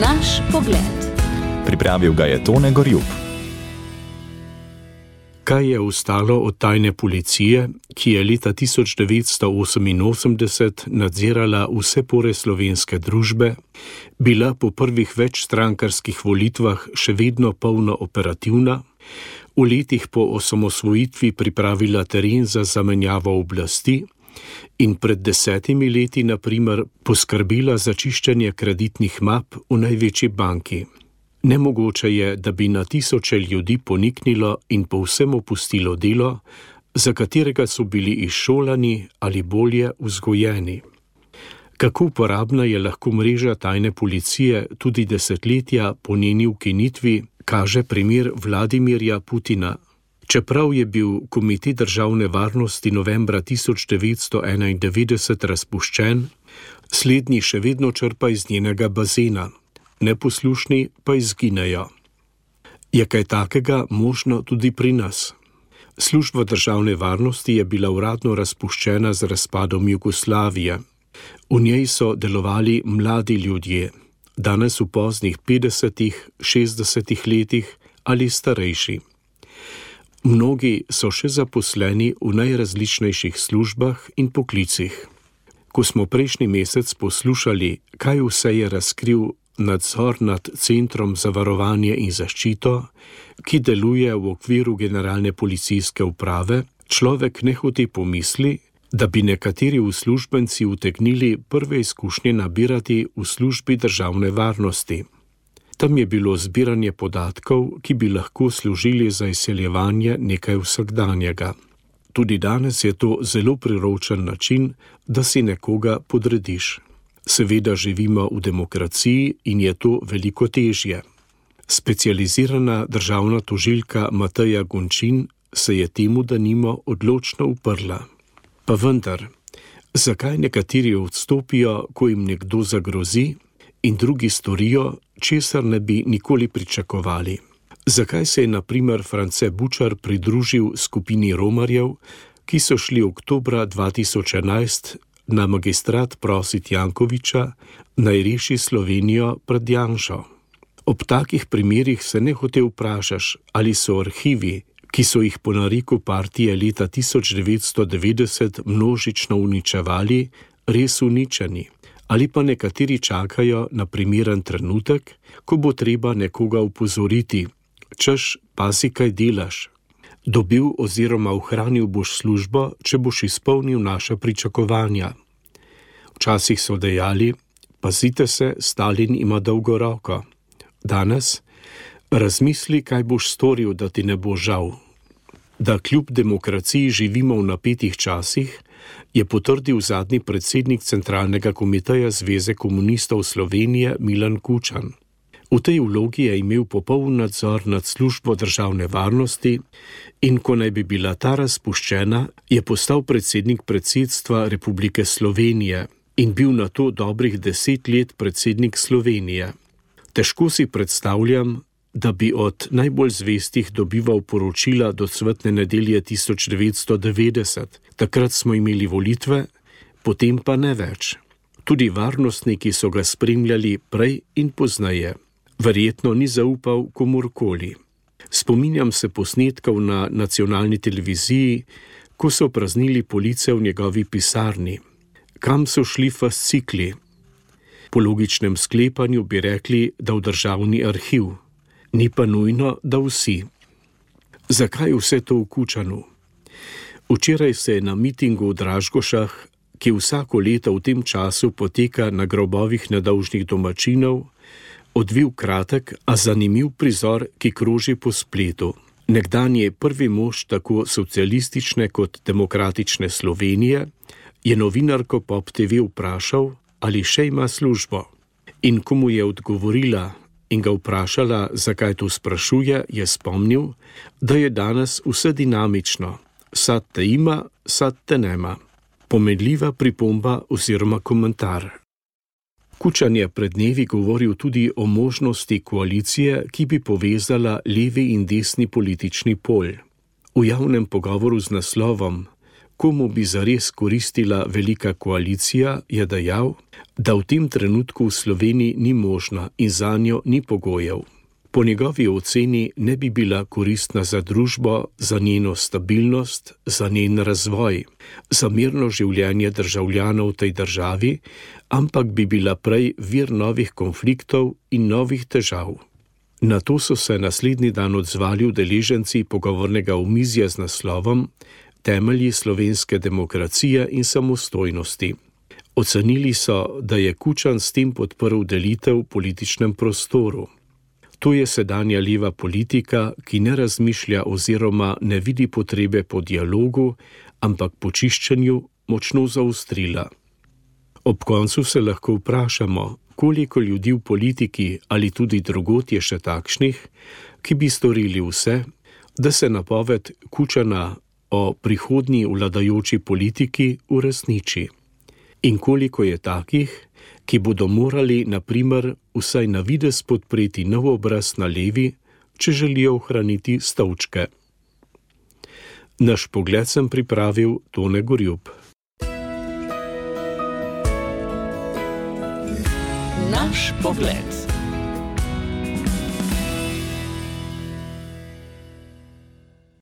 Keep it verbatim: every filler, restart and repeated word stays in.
Naš pogled. Pripravil ga je Tone Gorjup. Kaj je ostalo od tajne policije, ki je leta tisoč devetsto oseminosemdeset nadzirala vse pore slovenske družbe, bila po prvih večstrankarskih volitvah še vedno polno operativna, v letih po osamosvojitvi pripravila teren za zamenjavo oblasti in pred desetimi leti, na primer, poskrbela za čiščenje kreditnih map v največji banki. Nemogoče je, da bi na tisoče ljudi poniknilo in povsem opustilo delo, za katerega so bili izšolani ali bolje vzgojeni. Kako uporabna je lahko mreža tajne policije tudi desetletja po njeni ukinitvi, kaže primer Vladimirja Putina. Čeprav je bil Komitej državne varnosti novembra tisoč devetsto enaindevetdeset razpuščen, slednji še vedno črpa iz njenega bazena. Neposlušni pa izginejo. Je kaj takega možno tudi pri nas? Služba državne varnosti je bila uradno razpuščena z razpadom Jugoslavije. V njej so delovali mladi ljudje, danes v poznih petdesetih, šestdesetih letih ali starejši. Mnogi so še zaposleni v najrazličnejših službah in poklicih. Ko smo prejšnji mesec poslušali, kaj vse je razkril nadzor nad Centrom za varovanje in zaščito, ki deluje v okviru Generalne policijske uprave, človek nehote pomisli, da bi nekateri uslužbenci utegnili prve izkušnje nabirati v službi državne varnosti. Tam je bilo zbiranje podatkov, ki bi lahko služili za izseljevanje nekaj vsakdanjega. Tudi danes je to zelo priročen način, da si nekoga podrediš. Seveda živimo v demokraciji in je to veliko težje. Specializirana državna tožilka Mateja Gončin se je temu denimo odločno uprla. Pa vendar, zakaj nekateri odstopijo, ko jim nekdo zagrozi, in drugi storijo, česar ne bi nikoli pričakovali? Zakaj se je na primer France Bučar pridružil skupini romarjev, ki so šli oktobra dva tisoč enajst na magistrat prosit Jankoviča, naj reši Slovenijo pred Janšo? Ob takih primerih se nehote vprašaš, ali so arhivi, ki so jih po nareku partije leta tisoč devetsto devetdeset množično uničevali, res uničeni, ali pa nekateri čakajo na primeren trenutek, ko bo treba nekoga opozoriti, češ, pazi, kaj delaš. Dobil oziroma ohranil boš službo, če boš izpolnil naša pričakovanja. Včasih so dejali, pazite se, Stalin ima dolgo roko. Danes, razmisli, kaj boš storil, da ti ne bo žal. Da kljub demokraciji živimo v napetih časih, je potrdil zadnji predsednik Centralnega komiteja Zveze komunistov Slovenije Milan Kučan. V tej vlogi je imel popoln nadzor nad službo državne varnosti in ko naj bi bila ta razpuščena, je postal predsednik predsedstva Republike Slovenije in bil na to dobrih deset let predsednik Slovenije. Težko si predstavljam, da bi od najbolj zvestih dobival poročila do cvetne nedelje tisoč devetsto devetdeset. Takrat smo imeli volitve, potem pa ne več. Tudi varnostniki so ga spremljali prej in pozneje. Verjetno ni zaupal komurkoli. Spominjam se posnetkov na nacionalni televiziji, ko so praznili police v njegovi pisarni. Kam so šli fascikli? Po logičnem sklepanju bi rekli, da v državni arhiv. Ni pa nujno, da vsi. Zakaj vse to v Kučanu? Včeraj se je na mitingu v Dražgošah, ki vsako leto v tem času poteka na grobovih nedolžnih domačinov, odvil kratek, a zanimiv prizor, ki kroži po spletu. Nekdanji prvi mož tako socialistične kot demokratične Slovenije je novinarko Pop te ve vprašal, ali še ima službo. In ko mu je odgovorila in ga vprašala, zakaj to sprašuje, je spomnil, da je danes vse dinamično. Sad te ima, sad te nema. Pomenljiva pripomba oziroma komentar. Kučan je pred dnevi govoril tudi o možnosti koalicije, ki bi povezala levi in desni politični pol. V javnem pogovoru z naslovom Komu bi zares koristila velika koalicija, je dejal, da v tem trenutku v Sloveniji ni možna in zanjo ni pogojev. Po njegovi oceni ne bi bila koristna za družbo, za njeno stabilnost, za njen razvoj, za mirno življenje državljanov v tej državi, ampak bi bila prej vir novih konfliktov in novih težav. Na to so se naslednji dan odzvali udeleženci pogovornega omizja z naslovom Temelji slovenske demokracije in samostojnosti. Ocenili so, da je Kučan s tem podprl delitev v političnem prostoru. To je sedanja leva politika, ki ne razmišlja oziroma ne vidi potrebe po dialogu, ampak po čiščenju močno zaostrila. Ob koncu se lahko vprašamo, koliko ljudi v politiki ali tudi drugod je še takšnih, ki bi storili vse, da se napoved Kučana o prihodnji vladajoči politiki uresniči. In koliko je takih, ki bodo morali, na primer, vsaj na videz podpreti nov obraz na levi, če želijo ohraniti stolčke. Naš pogled sem pripravil Tone Gorjup. Naš pogled.